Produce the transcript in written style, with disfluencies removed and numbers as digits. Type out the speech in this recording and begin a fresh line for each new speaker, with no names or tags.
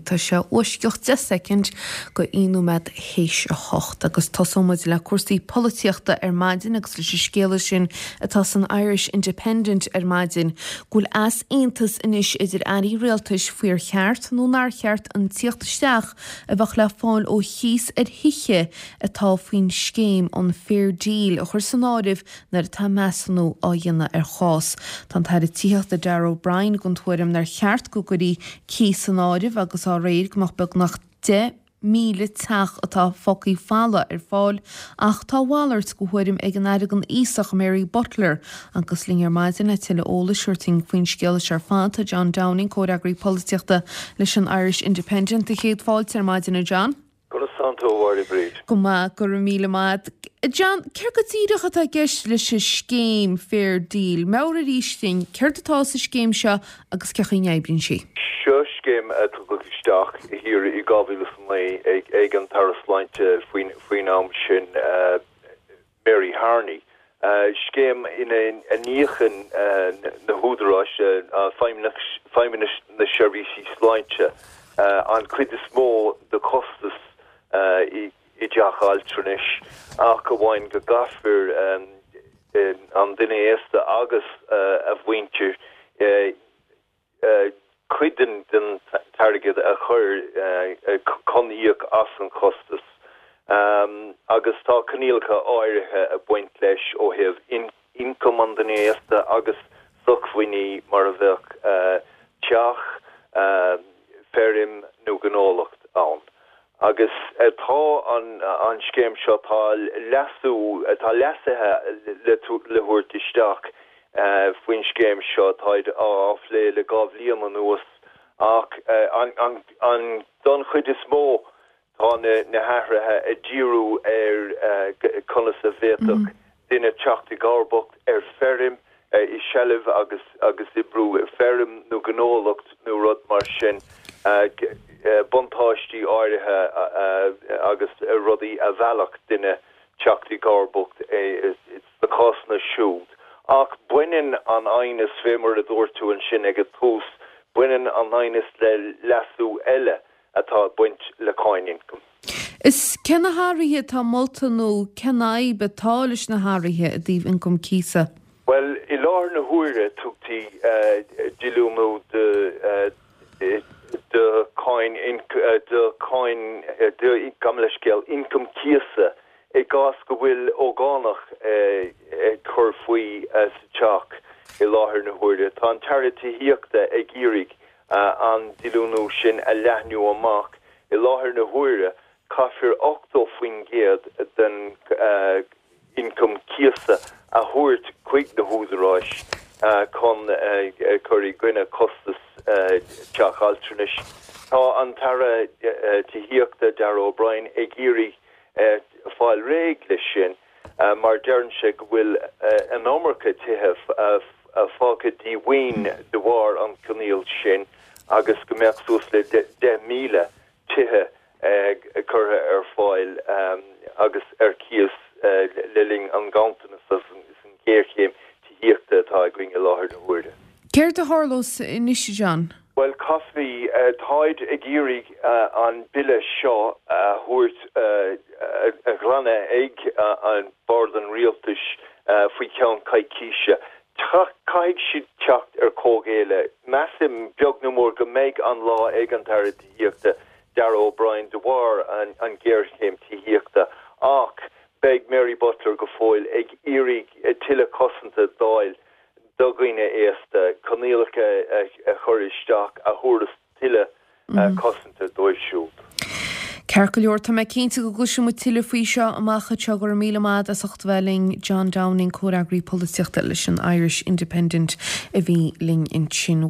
Tá sé uaisceacht 10 soicind go 1 nóiméad théis a hocht agus tosóidh muid le cúrsaí polaitíochta ar maidin agus leis an scéala sin atá san Irish Independent ar maidin go bhfuil easaontas anois idir airí rialtais faoi ar cheart nó nár cheart an tíocht isteach a bheadh le fáil ó chíos ar thithe atá faoin scéim an Fair Deal a chur san áireamh nuair atá measúnú á dhéanamh ar chás. Tá an tAire Tithíochta Darragh O'Brien den tuairim nár cheart go gcuirfí cíos san áireamh agus á réir go mbeadh beagnach 10,000 teach atá fágtha folamh ar fáil ach tá a mhalairt de thuairim ag an Aire don Aosach Mary Butler agus linn ar maidin le tuilleadh eolais a thabhairt faoin scéal seo ar fad tá John Downing, Comhfhreagraí Polaitíochta leis an Irish Independent. Céad fáilte ar maidin a John.
Conas tánn tú, a Mháire Bríd?
Go maith, go raibh míle maith. John, céard go díreach atá i gceist leis an scéim Fair Deal? Meabhraigh arís dúinn, céard atá sa scéim seo agus cén chaoi a n-oibríonn sí?
Seo scéim a tugadh isteach thiar i 2009 ag an tAire Sláinte faoin am sin, Mary Harney, scéim ina n-íocann na húdaráis, Feidhmeannas na Seirbhísí Sláinte, an chuid is mó de chostas i dteach altranais ach amháin go gcaithfear an duine aosta agus a mhuintir cuid den t-airgead a chur chun íoc as an chostas agus tá coinníollacha áirithe ag baint leis ó thaobh ioncam an duine aosta agus sócmhainní mar a bheadh teach, feirm nó gnólacht ann. Agus tá an scéim seo, tá leasú, tá leasuithe le thabhairt isteach faoin scéim seo, táid á phlé le 2 bhliain anuas ach an don chuid is mó tá na hathruithe ag díriú ar conas a bhféadfadh duine teacht i gcomharbacht ar feirm, i seilbh agus agus oibriú feirm nó gnólacht nó rud mar sin, buntáistí áirithe agus rudaí a mheallfadh duine teacht i gcomharbacht sna cásanna siúd. Ach baineann an aighneas, fé mar a dúirt tú ansin ag an tús, baineann an aighneas le leasú eile atá ag baint le cáin ioncaim.
Is cé na hathruithe atá molta nó cén fhadhb atá leis na hathruithe i dtaobh ioncam cíosa?
Bhuel, i láthair na huaire tugtaí díolúine de de cháin de cháin de gabh mo leithscéal ioncam cíosa i gcás go bhfuil ógánach ag cur faoi sa teach i láthair na huaire. Tá an tAire Tithíochta ag iarraidh an díolúine sin a leathnú amach. I láthair na huaire, caithfear 80% den ioncam cíosa a thabhairt chuig na húdaráis chun cur i gcoinne costas teach altranais. Tá an tAire Tithíochta, Darragh O'Brien, ag iarraidh fáil réidh leis sin mar deireann sé go bhfuil an iomarca tithe fágtha díomhaoin de bharr an choinníoll sin agus go mbeadh suas le 10,000 tithe curtha ar fáil agus ar cíos le linn an ghanntanas agus an ghéarchéim tithíochta atá againn i láthair na huaire.
Céard a tharlós anois, a John?
Bhuel, caithfidh, táid ag iarraidh an bille seo a thabhairt, a ghlanadh ag Bord an Rialtais faoi cheann coicíse. Caithfidh siad teacht ar comhghéilleadh. Measaim, beag nó mór, go mbeidh an lá ag an tAire Tithíochta, Darragh O'Brien, de bharr an ghéarchéim tithíochta ach beidh Mary Butler go fóill ag iarraidh tuilleadh cosanta d'fháil do dhaoine aosta, coinníollacha a chur isteach a thabharfas tuilleadh cosanta dóibh siúd.
Ceart go leor, tá mé cinnte go gcloisfidh muid tuilleadh faoi seo amach anseo. Go raibh míle maith agat as ucht a bheith linn, John Downing, Comhfhreagraí Polaitíochta leis an Irish Independent a bhí linn ansin.